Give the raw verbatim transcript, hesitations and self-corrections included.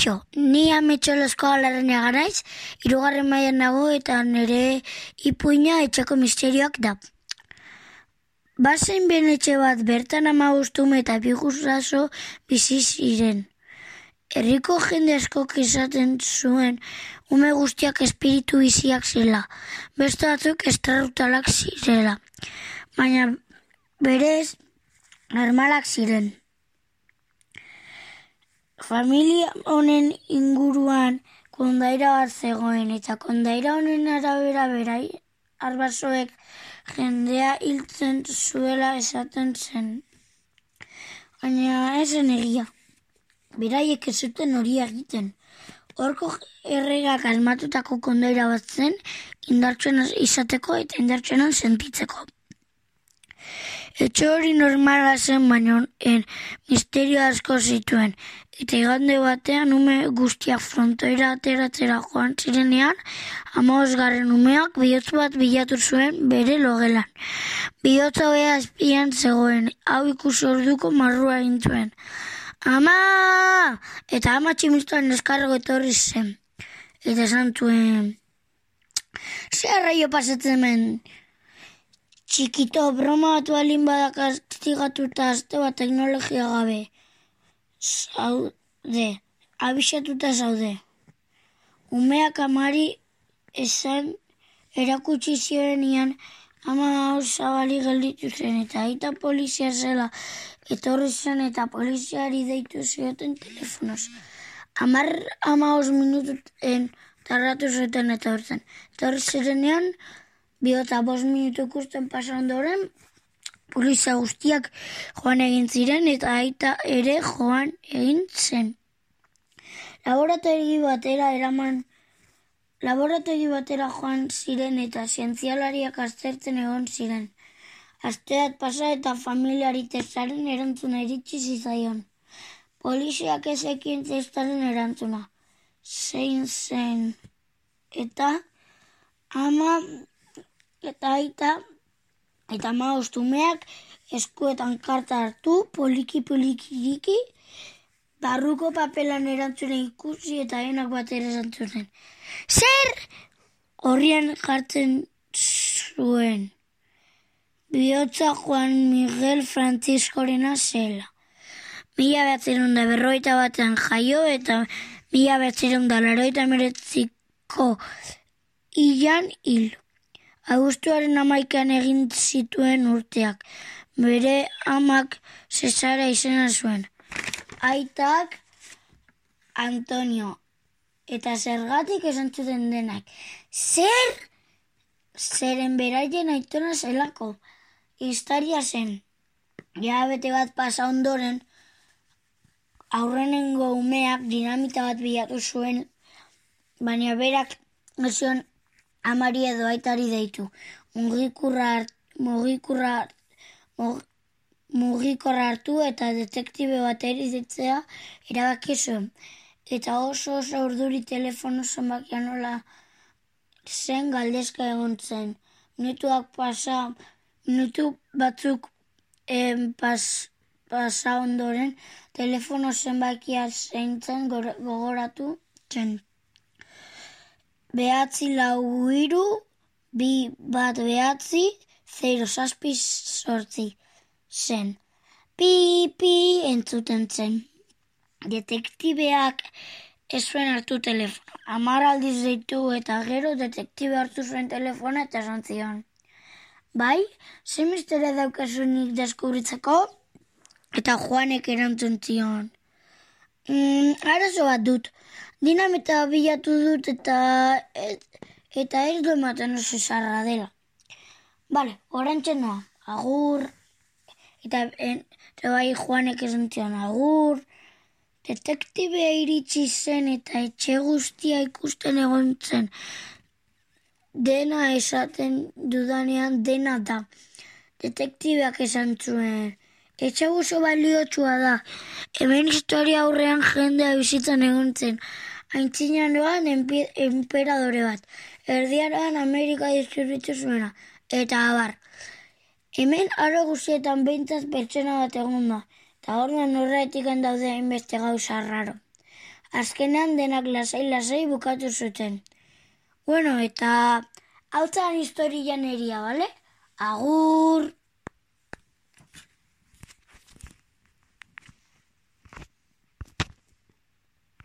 Kaixo, ni Ametxolozko Alarrena garaiz, hirugarren mailan nago eta nire ipuina etxeko misterioak da. Bazen benetxe bat bertan hamabost ume eta bi guraso bizi ziren. Herriko jende askok esaten zuen ume guztiak espiritu biziak zirela, beste batzuk estrarutalak zirela, baina berez normalak ziren. Familia honen inguruan kondaira bat zegoen, eta kondaira honen arabera berai arbasoek jendea hiltzen zuela esaten zen. Baina ez zen egia. Beraiek ez zuten hori egiten. Horko erregak asmatutako kondaira bat zen, indartsuena izateko eta indartsuena sentitzeko. Etxe hori normala zen, baina en misterio asko zituen. Eta igande batean ume guztiak frontoira ateratzera joan zirenean, hamabosgarren umeak bihotz bat bilatu zuen bere logelan. Bihotza hobea azpian zegoen, hau ikusi orduko marrua egin zuen. Ama! Eta ama tximistuan eskargo etorri zen. Eta esan zuen, ze arraio pasatzen hemen? Txikito, broma bat balin badak kastigatuta azte bat teknologia gabe. Zaude, abisatuta zaude. Umeak amari esan erakutsi ziorenean ama hau zabali gelditu zen eta aita polizia zela etorri zen eta poliziari deitu zioten telefonoz. Amar hamabost minututen tardatu zuten eta hortzen. Etorri zirenean, bihota bost minutu ikusten pasa ondoren, polizia guztiak joan egin ziren eta aita ere joan egin zen. Laborategi batera eraman, laborategi batera joan ziren eta zientzialariak aztertzen egon ziren. Asteat pasa eta familiari testaren erantzuna iritsi zitzaion. Poliziak ezekien testaren erantzuna. Zein zen. Eta ama eta aita eta hamabost umeak eskuetan karta hartu, poliki-polikiriki, barruko papelan erantzuna ikusi eta enak batera esan zuten. Zer! Horrian jartzen zuen. Bihotza Juan Miguel Franciscorena zela. Mila behatziehun da berrogeita batean jaio eta mila behatziehun da laurogeita hemeretziko hilan hil. Abuztuaren hamaikan egin zituen urteak. Bere amak Cesara izena zuen. Aitak Antonio. Eta zergatik esan zuten denak. Zer? Zeren beraien aitona zelako. Historia zen. Ja bete bat pasa ondoren, aurrenengo umeak dinamita bat bilatu zuen, baina berak zion amari edo aitari deitu. Mugikurra, mugikurra, mugikorra hartu eta detektibe bateri ditzea erabaki zuen. Eta oso oso urduri telefono zenbakia nola zen galdezka egon zen. Minutuak pasa, minutu batzuk em, pas, pasa ondoren telefono zenbakia zeintzen gogoratu zen. Behatzi lau hiru, bi bat behatzi, zero zazpi sortzi zen. Pi, pi entzuten zen. Detektibeak ez zuen hartu telefono. Hamar aldiz deitu eta gero detektibe hartu zuen telefona eta esan zion. Bai, ze misterio daukazunik deskubritzeko? Eta Juanek erantzun zion. Mm, arazo bat dut. Dinamita bilatu dut eta et, eta ez du ematen oso zarra dela. Bale, orantxe noa, agur. Eta, en, eta bai Juanek esan zion, agur. Detektibea iritsi zen eta etxe guztia ikusten egon zen. Dena esaten dudanean dena da. Detektibeak esan zuen. Etxe oso baliotsua da. Hemen historia aurrean jendea bizitzen egon zen. Aintzinaroan enperadore bat. Erdiaroan Amerika distribuitu zuena. Eta abar. Hemen aro guztietan behintzat pertsona bat egon da. Eta horren horretik daude hainbeste gauza raro. azkenean denak lasai-lasai bukatu zuten. Bueno, eta hau zan historia neria, bale? Agur!